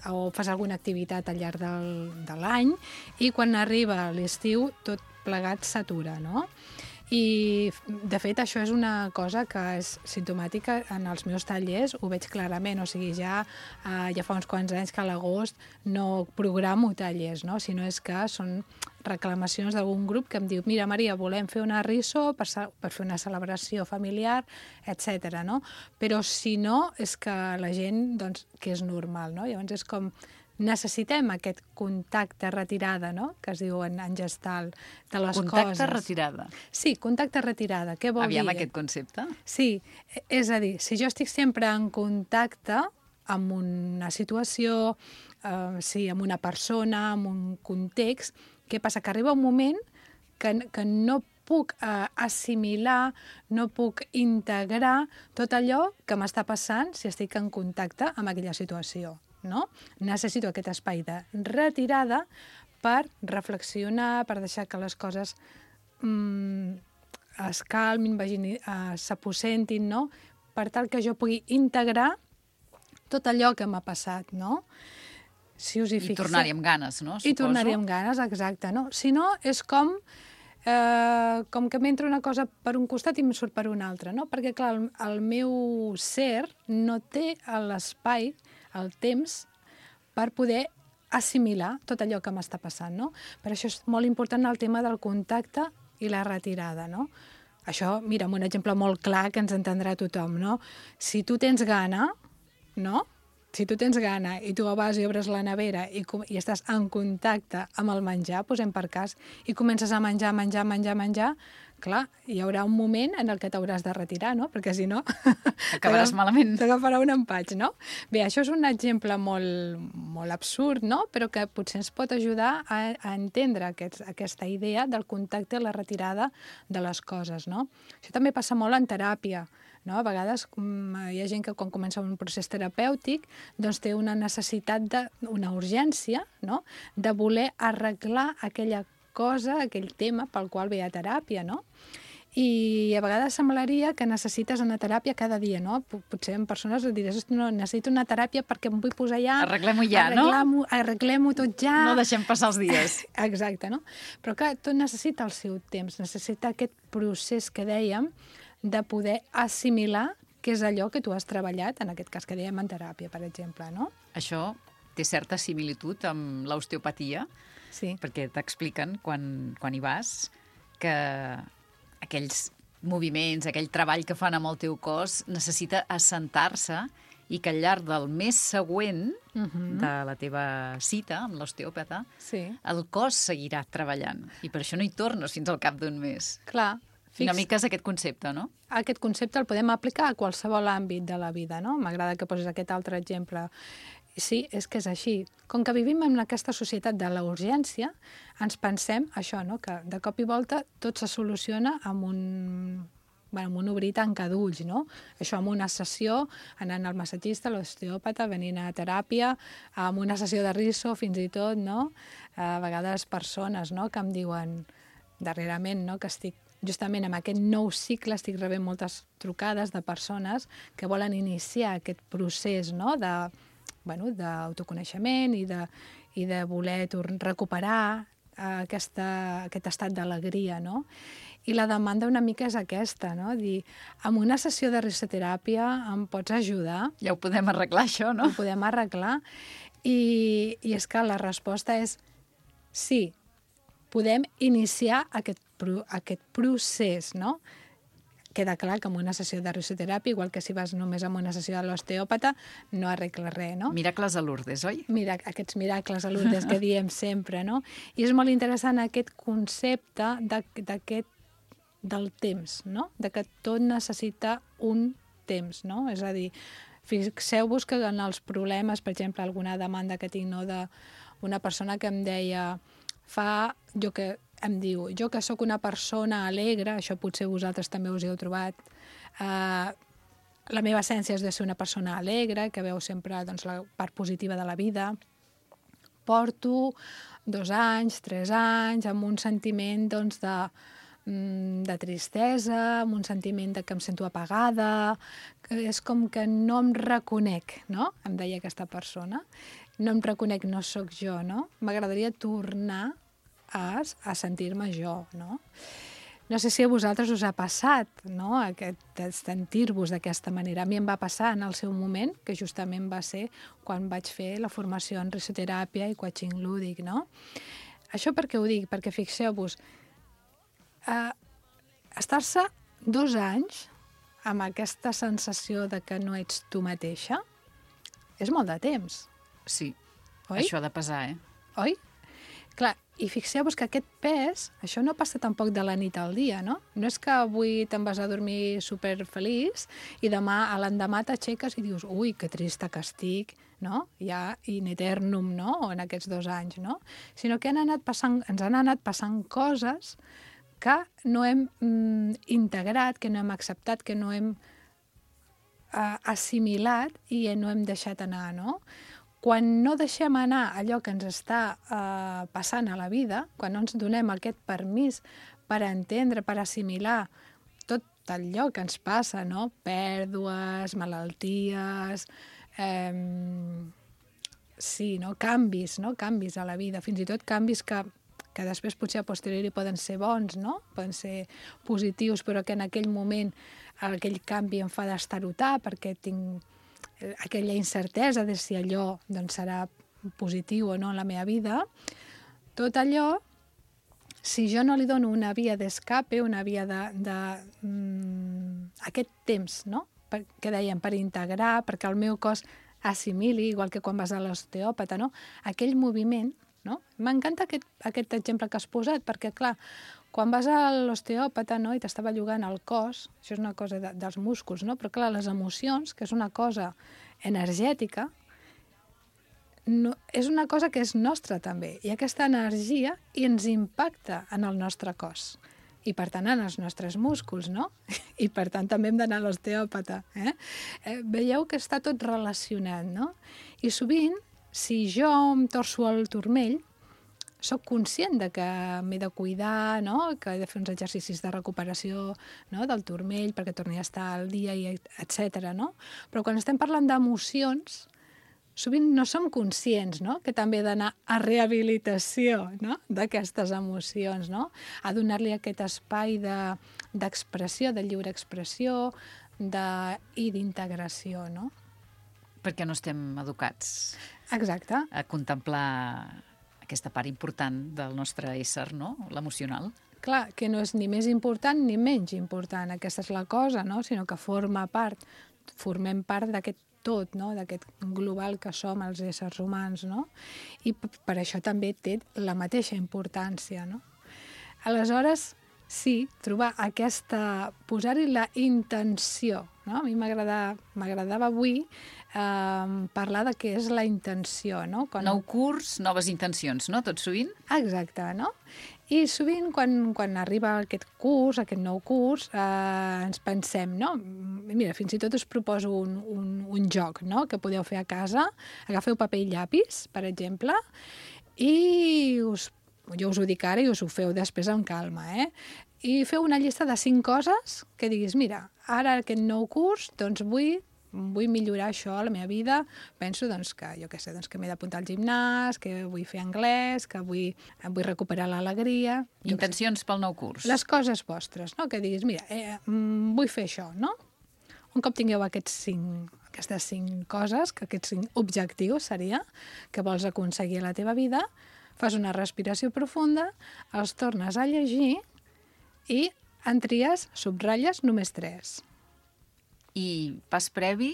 o fas alguna activitat al llarg de l'any, i quan arriba l'estiu tot plegat s'atura, no? I, de fet, això és una cosa que és simptomàtica en els meus tallers, ho veig clarament, o sigui, ja fa uns quants anys que a l'agost no programo tallers, no? Sinó és que són reclamacions d'algun grup que em diu: mira, Maria, volem fer una riso per fer una celebració familiar, etc. No? Però si no, és que la gent, doncs, que és normal, no? Llavors és com... necessitem aquest contacte retirada, no?, que es diu en gestal, de les coses. Contacte retirada. Sí, contacte retirada. Què vol dir? Aviam aquest concepte. Sí, és a dir, si jo estic sempre en contacte amb una situació, amb una persona, amb un context, què passa? Que arriba un moment que no puc assimilar, no puc integrar tot allò que m'està passant si estic en contacte amb aquella situació. No? Necessito aquest espai de retirada per reflexionar, per deixar que les coses es calmin, s'aposentin, no? Per tal que jo pugui integrar tot allò que m'ha passat, no? Si us hi fixeu... I tornar-hi amb ganes, no? I tornar-hi amb ganes, exacte, no? Si no, és com que m'entra una cosa per un costat i em surt per un altre, no? Perquè, clar, el meu ser no té l'espai, el temps, per poder assimilar tot allò que m'està passant, no? Per això és molt important el tema del contacte i la retirada, no? Això, mira, un exemple molt clar que ens entendrà tothom, no? Si tu tens gana, no?, si tu tens gana i tu vas i obres la nevera i estàs en contacte amb el menjar, posem per cas, i comences a menjar, clar, hi haurà un moment en el que t'hauràs de retirar, no? Perquè si no... Acabaràs malament. T'agafarà un empatx, no? Bé, això és un exemple molt, molt absurd, no? Però que potser ens pot ajudar a entendre aquesta idea del contacte i la retirada de les coses, no? Això també passa molt en teràpia, no? A vegades hi ha gent que quan comença un procés terapèutic doncs té una necessitat, una urgència, no?, de voler arreglar aquella cosa, aquell tema pel qual ve a teràpia, no? I a vegades semblaria que necessites una teràpia cada dia, no? Potser en persones diràs, no, necessito una teràpia perquè em vull posar ja... Arreglem-ho ja, no? Arreglem-ho tot ja. No deixem passar els dies. Exacte, no? Però clar, tot necessita el seu temps, necessita aquest procés que dèiem de poder assimilar què és allò que tu has treballat, en aquest cas que dèiem en teràpia, per exemple, no? Això té certa similitud amb l'osteopatia, sí, perquè t'expliquen, quan hi vas, que aquells moviments, aquell treball que fan amb el teu cos necessita assentar-se i que al llarg del mes següent de la teva cita amb l'osteòpata, el cos seguirà treballant. I per això no hi tornes fins al cap d'un mes. Clar. Una mica és aquest concepte, no? Aquest concepte el podem aplicar a qualsevol àmbit de la vida, no? M'agrada que posis aquest altre exemple. Sí, és que és així. Com que vivim en aquesta societat de la urgència, ens pensem això, no?, que de cop i volta tot se soluciona amb amb un obrir i tancar d'ulls, no? Això amb una sessió, anant al massatgista, l'osteòpata, venint a teràpia, amb una sessió de riso, fins i tot, no? A vegades persones, no?, que em diuen darrerament, no?, que estic justament amb aquest nou cicle, estic rebent moltes trucades de persones que volen iniciar aquest procés, no?, d'autoconeixement i de voler recuperar aquest estat d'alegria, no? I la demanda una mica és aquesta, no? Dir, amb una sessió de risoteràpia em pots ajudar? Ja ho podem arreglar, això, no? Ho podem arreglar. I és que la resposta és sí, podem iniciar aquest procés, no? Queda clar que amb una sessió de risoteràpia, igual que si vas només amb una sessió de l'osteòpata, no arregla res, no? Miracles a Lourdes, oi? Aquests miracles a Lourdes que diem sempre, no? I és molt interessant aquest concepte del temps, no? De que tot necessita un temps, no? És a dir, fixeu-vos que en els problemes, per exemple, alguna demanda que tinc, no, d'una persona que em deia em diu, jo que sóc una persona alegre, això potser vosaltres també us hi heu trobat, la meva essència és de ser una persona alegre, que veu sempre doncs, la part positiva de la vida. Porto 2 anys, 3 anys, amb un sentiment doncs, de tristesa, amb un sentiment de que em sento apagada, que és com que no em reconec, no?, em deia aquesta persona. No em reconec, no sóc jo, no? M'agradaria tornar a sentir-me jo, no? No sé si a vosaltres us ha passat, no?, sentir-vos d'aquesta manera. A mi em va passar en el seu moment, que justament va ser quan vaig fer la formació en risoteràpia i coaching lúdic, no? Això per què ho dic? Perquè fixeu-vos, estar-se 2 anys amb aquesta sensació de que no ets tu mateixa és molt de temps. Sí, oi? Això ha de pesar, Oi? Clar, i fixeu-vos que aquest pes, això no passa tampoc de la nit al dia, no? No és que avui te'n vas a dormir superfeliç i demà, a l'endemà t'aixeques i dius, ui, que trista que estic, no? Ja in eternum, no?, en aquests 2 anys, no? Sinó que ens han anat passant coses que no hem integrat, que no hem acceptat, que no hem assimilat i no hem deixat anar, no? Quan no deixem anar allò que ens està passant a la vida, quan no ens donem aquest permís per entendre, per assimilar tot allò que ens passa, no? Pèrdues, malalties, sí, no? Canvis a la vida, fins i tot canvis que després potser a posteriori poden ser bons, no? Poden ser positius, però que en aquell moment aquell canvi em fa d'estarotar perquè tinc aquella incertesa de si allò doncs, serà positiu o no en la meva vida. Tot allò, si jo no li dono una via d'escape, una via aquest temps, no?, que dèiem, per integrar, perquè el meu cos assimili, igual que quan vas a l'osteòpata, no?, aquell moviment, no? M'encanta aquest exemple que has posat, perquè, clar, quan vas a l'osteòpata, no?, i t'estava llogant el cos, això és una cosa dels músculs, no? Però, clar, les emocions, que és una cosa energètica, no, és una cosa que és nostra també, i aquesta energia ens impacta en el nostre cos, i per tant en els nostres músculs, no? I per tant també hem d'anar a l'osteòpata. Veieu que està tot relacionat, no? I sovint, si jo em torço el turmell, soc conscient de que m'he de cuidar, no?, que he de fer uns exercicis de recuperació, no?, del turmell perquè torni a estar al dia, etc. No? Però quan estem parlant d'emocions, sovint no som conscients, no?, que també he d'anar a rehabilitació, no?, d'aquestes emocions, no?, a donar-li aquest espai d'expressió, de lliure expressió i d'integració, no? Perquè no estem educats. Exacte. A contemplar aquesta part important del nostre ésser, no?, l'emocional. Clar, que no és ni més important ni menys important, aquesta és la cosa, no?, sinó que formem part d'aquest tot, no?, d'aquest global que som els éssers humans, no? I per això també té la mateixa importància, no? Aleshores, sí, trobar posar-hi la intenció, no? A mi m'agradava avui parlar de què és la intenció, no? Nou curs, noves intencions, no? Tot sovint? Exacte, no? I sovint, quan arriba aquest nou curs, ens pensem, no? Mira, fins i tot us proposo un joc, no?, que podeu fer a casa. Agafeu paper i llapis, per exemple, i jo us ho dic ara i us ho feu després amb calma, I feu una llista de 5 coses que diguis, mira, ara aquest nou curs, doncs vull millorar això a la meva vida. Penso que, que m'he d'apuntar al gimnàs, que vull fer anglès, que vull recuperar l'alegria. Intencions pel nou curs. Les coses vostres, no? Que diguis, mira, vull fer això, no? Un cop tingueu aquestes 5 coses, que aquests 5 objectius seria que vols aconseguir a la teva vida, fas una respiració profunda, els tornes a llegir i en tries, subratlles només 3. I pas previ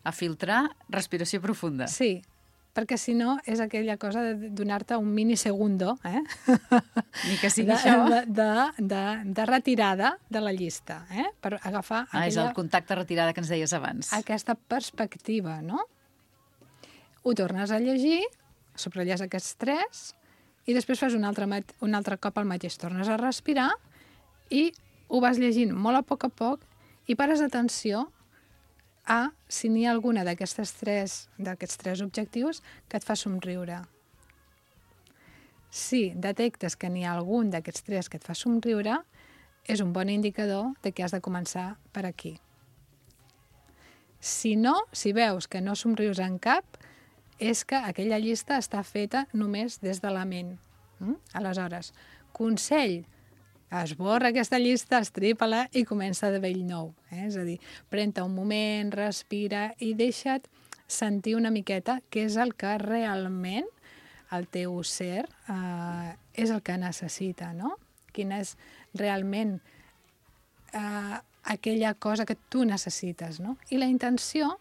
a filtrar respiració profunda. Sí, perquè si no és aquella cosa de donar-te un minisegundo, Ni que sigui això. De retirada de la llista, per agafar és el contacte retirada que ens deies abans. Aquesta perspectiva, no? Ho tornes a llegir, subratlles aquests 3 i després fas un altre cop el mateix. Tornes a respirar i ho vas llegint molt a poc i pares atenció a si n'hi ha alguna d'aquests 3 objectius que et fa somriure. Si detectes que n'hi ha algun d'aquests 3 que et fa somriure, és un bon indicador de que has de començar per aquí. Si no, si veus que no somrius en cap, és que aquella llista està feta només des de la ment. Aleshores, consell, esborra aquesta llista, estripa-la i comença de bell nou. És a dir, pren-te un moment, respira i deixa't sentir una miqueta què és el que realment el teu ser és el que necessita, no? Quina és realment aquella cosa que tu necessites, no? I la intenció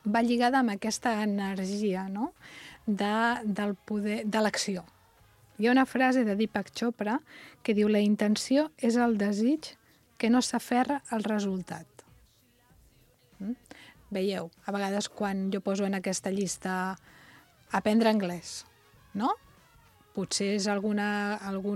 va lligada amb aquesta energia, no?, del poder, de l'acció. Hi ha una frase de Deepak Chopra que diu: la intenció és el desig que no s'aferra al resultat. Veieu, a vegades quan jo poso en aquesta llista aprendre anglès, no? Potser és algun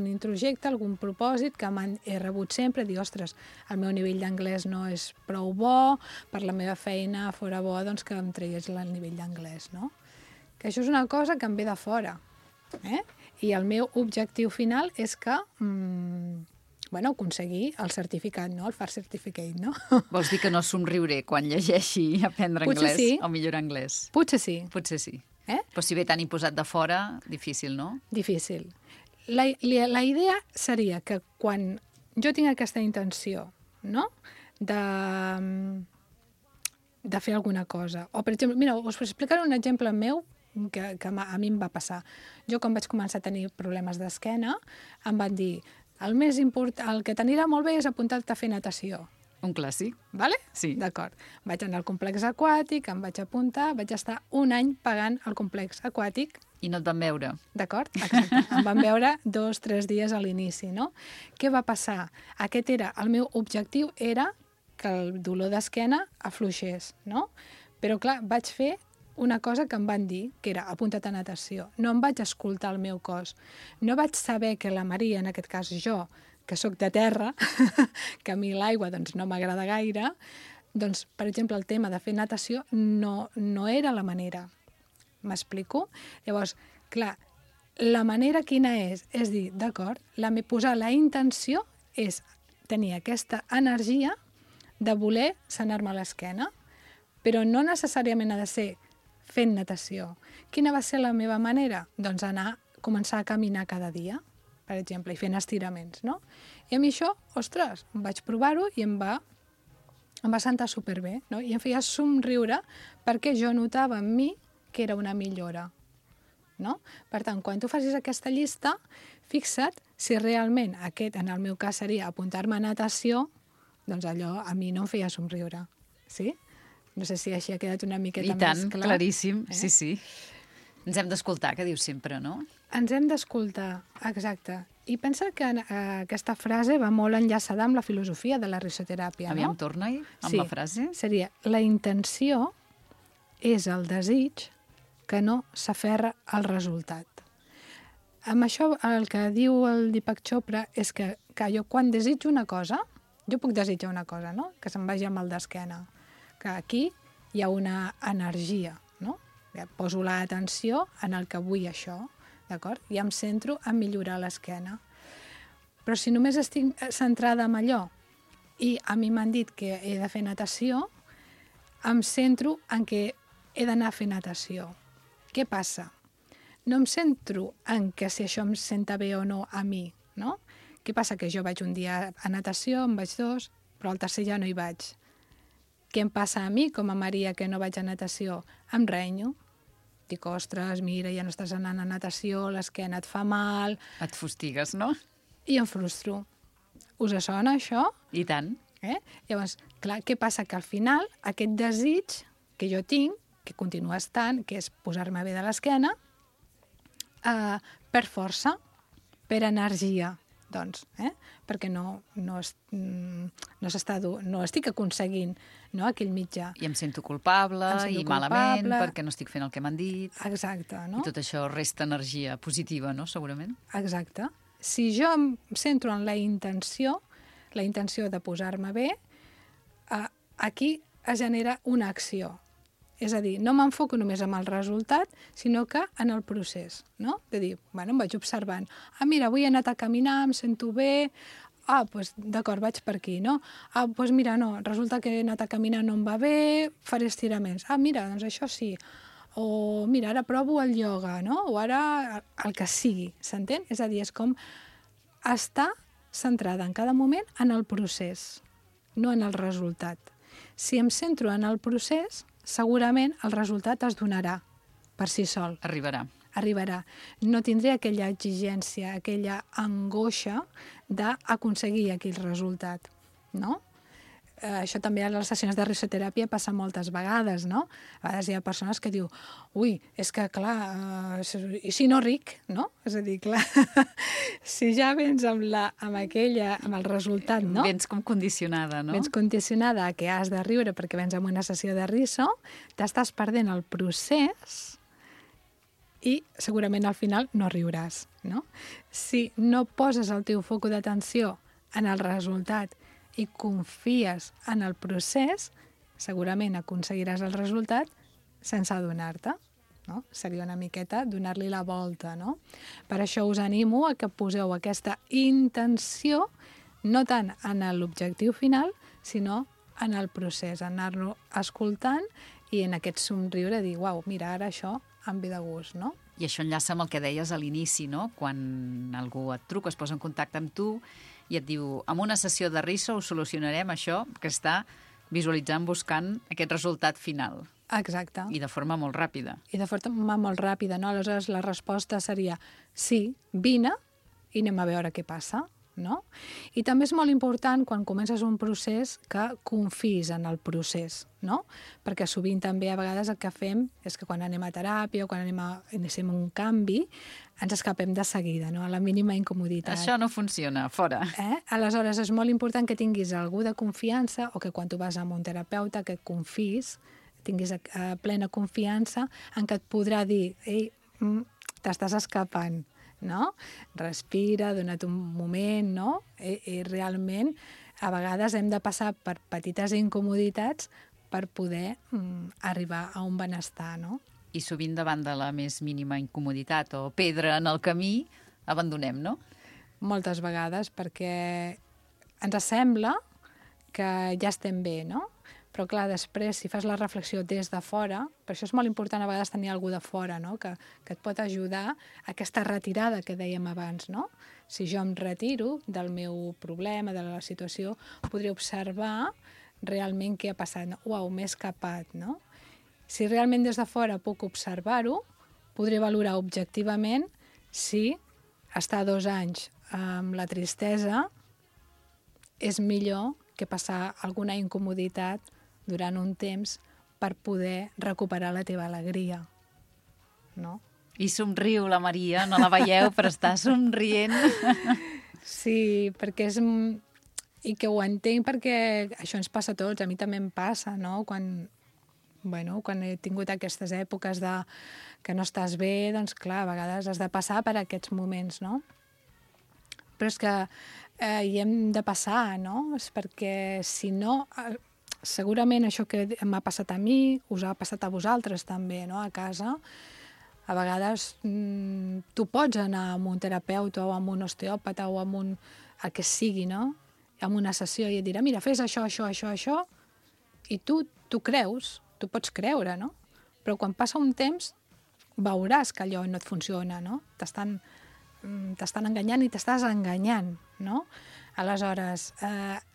introjecte, algun propòsit que he rebut sempre, dir, ostres, el meu nivell d'anglès no és prou bo, per la meva feina fora bo doncs, que em tragués el nivell d'anglès, no? Que això és una cosa que em ve de fora, I el meu objectiu final és que aconseguir el certificat, no? El FAR Certificate, no? Vols dir que no somriuré quan llegeixi aprendre anglès o millorar anglès? Potser sí. Potser sí. Però si ve tan imposat de fora, difícil, no? Difícil. La idea seria que quan jo tinc aquesta intenció, no?, de fer alguna cosa. O, per exemple, mira, us explicaré un exemple meu que a mi em va passar. Jo, quan vaig començar a tenir problemes d'esquena, em van dir, el que t'anirà molt bé és apuntar-te a fer natació. Un clàssic. Vale? Sí. D'acord. Vaig anar al complex aquàtic, em vaig apuntar, vaig estar un any pagant el complex aquàtic. I no et van veure. D'acord? Exacte. Em van veure 2-3 dies a l'inici, no? Què va passar? El meu objectiu era que el dolor d'esquena afluixés, no? Però, clar, vaig fer una cosa que em van dir, que era apunta't a natació. No em vaig escoltar el meu cos. No vaig saber que la Maria, en aquest cas jo, que sóc de terra, que a mi l'aigua doncs, no m'agrada gaire, doncs, per exemple, el tema de fer natació no era la manera. M'explico? Llavors, clar, la manera quina és? És dir, d'acord, posar la intenció és tenir aquesta energia de voler sanar-me l'esquena, però no necessàriament ha de ser fent natació. Quina va ser la meva manera? Doncs començar a caminar cada dia, per exemple, i fent estiraments, no? I a mi això, ostres, vaig provar-ho i em va sentar superbé, no? I em feia somriure perquè jo notava en mi que era una millora, no? Per tant, quan tu facis aquesta llista, fixa't si realment en el meu cas seria apuntar-me a natació, doncs allò a mi no em feia somriure, sí? No sé si així ha quedat una miqueta més clar. I tant, claríssim, sí. Ens hem d'escoltar, que dius sempre, no? Ens hem d'escoltar, exacte. I pensa que aquesta frase va molt enllaçada amb la filosofia de la risoteràpia, no? Aviam, torna-hi amb la frase. Seria, la intenció és el desig que no s'aferra al resultat. Amb això, el que diu el Deepak Chopra és que jo quan desitjo una cosa, jo puc desitjar una cosa, no? Que se'n vagi amb el d'esquena. Que aquí hi ha una energia, no? Ja poso l'atenció en el que vull això, d'acord? I em centro en millorar l'esquena. Però si només estic centrada en allò i a mi m'han dit que he de fer natació, em centro en que he d'anar a fer natació. Què passa? No em centro en que si això em senta bé o no a mi, no? Què passa? Que jo vaig un dia a natació, en vaig 2, però al tercer ja no hi vaig. Què em passa a mi, com a Maria, que no vaig a natació? Em renyo. Dic, ostres, mira, ja no estàs anant a natació, l'esquena et fa mal... Et fustigues, no? I em frustro. Us sona, això? I tant. Llavors, clar, què passa? Que al final aquest desig que jo tinc, que continua estant, que és posar-me bé de l'esquena, per força, per energia, doncs, perquè no estic aconseguint, no, aquell mitjà. I em sento culpable i malament perquè no estic fent el que m'han dit. Exacte, no? I tot això resta energia positiva, no?, segurament. Exacte. Si jo em centro en la intenció de posar-me bé, aquí es genera una acció. És a dir, no m'enfoco només en el resultat, sinó que en el procés, no? De dir, bueno, em vaig observant. Mira, avui he anat a caminar, em sento bé, doncs d'acord, vaig per aquí, no? Doncs mira, no, resulta que he anat a caminar, no em va bé, faré estiraments. Mira, doncs això sí. O mira, ara provo el ioga, no? O ara el que sigui, s'entén? És a dir, és com estar centrada en cada moment en el procés, no en el resultat. Si em centro en el procés, segurament el resultat es donarà per si sol. Arribarà. No tindré aquella exigència, aquella angoixa d'aconseguir aquell resultat, no? Això també a les sessions de risoteràpia passa moltes vegades, no? A vegades hi ha persones que diu, ui, és que clar, i si no ric, no? És a dir, clar, si ja vens amb el resultat, no? Vens com condicionada, no? Vens condicionada a que has de riure perquè vens amb una sessió de riso, t'estàs perdent el procés i segurament al final no riuràs, no? Si no poses el teu foc d'atenció en el resultat i confies en el procés, segurament aconseguiràs el resultat sense adonar-te, no? Seria una miqueta donar-li la volta, no? Per això us animo a que poseu aquesta intenció no tant en l'objectiu final, sinó en el procés, anar-lo escoltant i en aquest somriure dir, uau, mira, ara això em ve de gust, no? I això enllaça amb el que deies a l'inici, no? Quan algú et truca, es posa en contacte amb tu i et diu, amb una sessió de riso ho solucionarem això que està visualitzant, buscant aquest resultat final. Exacte. I de forma molt ràpida. I de forma molt ràpida, no? Aleshores la resposta seria sí, vine i anem a veure què passa, no? I també és molt important quan comences un procés que confiïs en el procés, no? Perquè sovint també a vegades el que fem és que quan anem a teràpia o quan iniciem un canvi ens escapem de seguida, no? A la mínima incomoditat. Això no funciona, fora. Aleshores és molt important que tinguis algú de confiança o que quan tu vas amb un terapeuta que confiïs, tinguis plena confiança en que et podrà dir ei, t'estàs escapant, no? Respira, dona't un moment, no? I realment a vegades hem de passar per petites incomoditats per poder arribar a un benestar, no? I sovint davant de la més mínima incomoditat o pedra en el camí, abandonem, no? Moltes vegades, perquè ens sembla que ja estem bé, no? Però clar, després, si fas la reflexió des de fora, per això és molt important a vegades tenir algú de fora, no? Que et pot ajudar a aquesta retirada que dèiem abans, no? Si jo em retiro del meu problema, de la situació, podré observar realment què ha passat. Uau, m'he escapat, no? Si realment des de fora puc observar-ho, podré valorar objectivament si estar 2 anys amb la tristesa és millor que passar alguna incomoditat durant un temps per poder recuperar la teva alegria, no? I somriu la Maria, no la veieu, però està somrient. Sí, perquè és... I que ho entenc perquè això ens passa a tots, a mi també em passa, no? Quan he tingut aquestes èpoques que no estàs bé, doncs clar, a vegades has de passar per aquests moments, no? Però és que hi hem de passar, no? És perquè, si no, segurament això que m'ha passat a mi us ha passat a vosaltres també, no? A casa. A vegades tu pots anar amb un terapeuta o amb un osteòpata o amb el que sigui, no? Amb una sessió i et dirà, mira, fes això, i tu creus, tu pots creure, no? Però quan passa un temps veuràs que allò no et funciona, no? T'estan enganyant i t'estàs enganyant, no? Aleshores,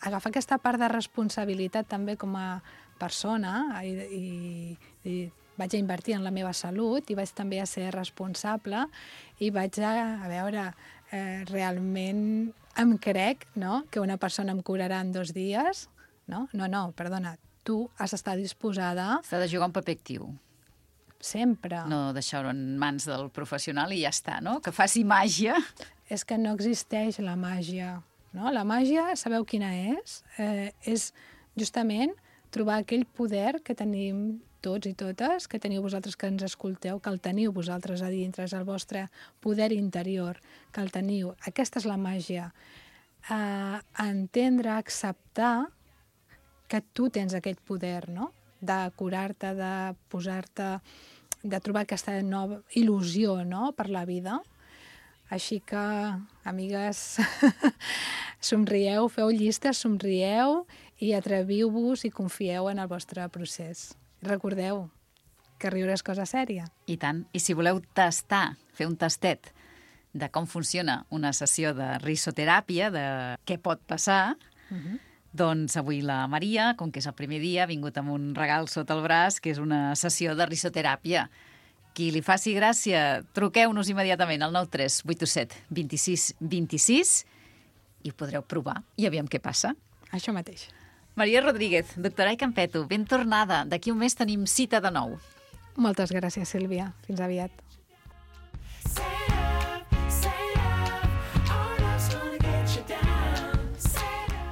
agafar aquesta part de responsabilitat també com a persona i vaig a invertir en la meva salut i vaig també a ser responsable i vaig a veure, realment em crec, no?, que una persona em curarà en 2 dies, no? No, perdona, tu has d'estar disposada... S'ha de jugar un paper actiu. Sempre. No deixar-ho en mans del professional i ja està, no? Que faci màgia. És que no existeix la màgia, no? La màgia, sabeu quina és? És justament trobar aquell poder que tenim tots i totes, que teniu vosaltres que ens escolteu, que el teniu vosaltres a dintre, és el vostre poder interior, que el teniu. Aquesta és la màgia. Entendre, acceptar que tu tens aquest poder, no?, de curar-te, de posar-te, de trobar aquesta nova il·lusió, no?, per la vida. Així que, amigues, somrieu, feu llistes, somrieu i atreviu-vos i confieu en el vostre procés. Recordeu que riure és cosa sèria. I tant. I si voleu tastar, fer un tastet de com funciona una sessió de risoteràpia, de què pot passar, doncs avui la Maria, com que és el primer dia, ha vingut amb un regal sota el braç, que és una sessió de risoteràpia. Qui li faci gràcia, truqueu-nos immediatament al 93 827 26 26 i ho podreu provar i aviam què passa. Això mateix. Maria Rodríguez, doctora i Campeto, ben tornada. D'aquí un mes tenim cita de nou. Moltes gràcies, Sílvia. Fins aviat.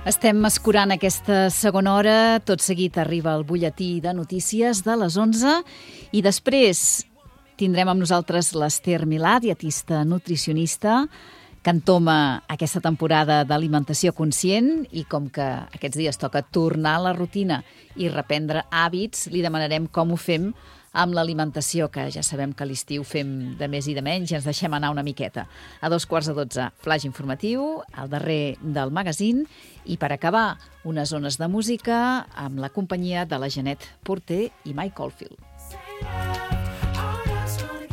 Estem escurant aquesta segona hora. Tot seguit arriba el butlletí de notícies de les 11 i després tindrem amb nosaltres l'Ester Milà, dietista nutricionista, que entoma aquesta temporada d'alimentació conscient i com que aquests dies toca tornar a la rutina i reprendre hàbits, li demanarem com ho fem amb l'alimentació, que ja sabem que a l'estiu fem de més i de menys i ens deixem anar una miqueta. A 2:15, flash informatiu, al darrer del magazín i per acabar, unes zones de música amb la companyia de la Jeanette Porter i Mike Oldfield.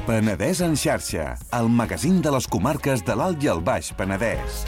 Penedès en xarxa, el magazín de les comarques de l'Alt i el Baix Penedès.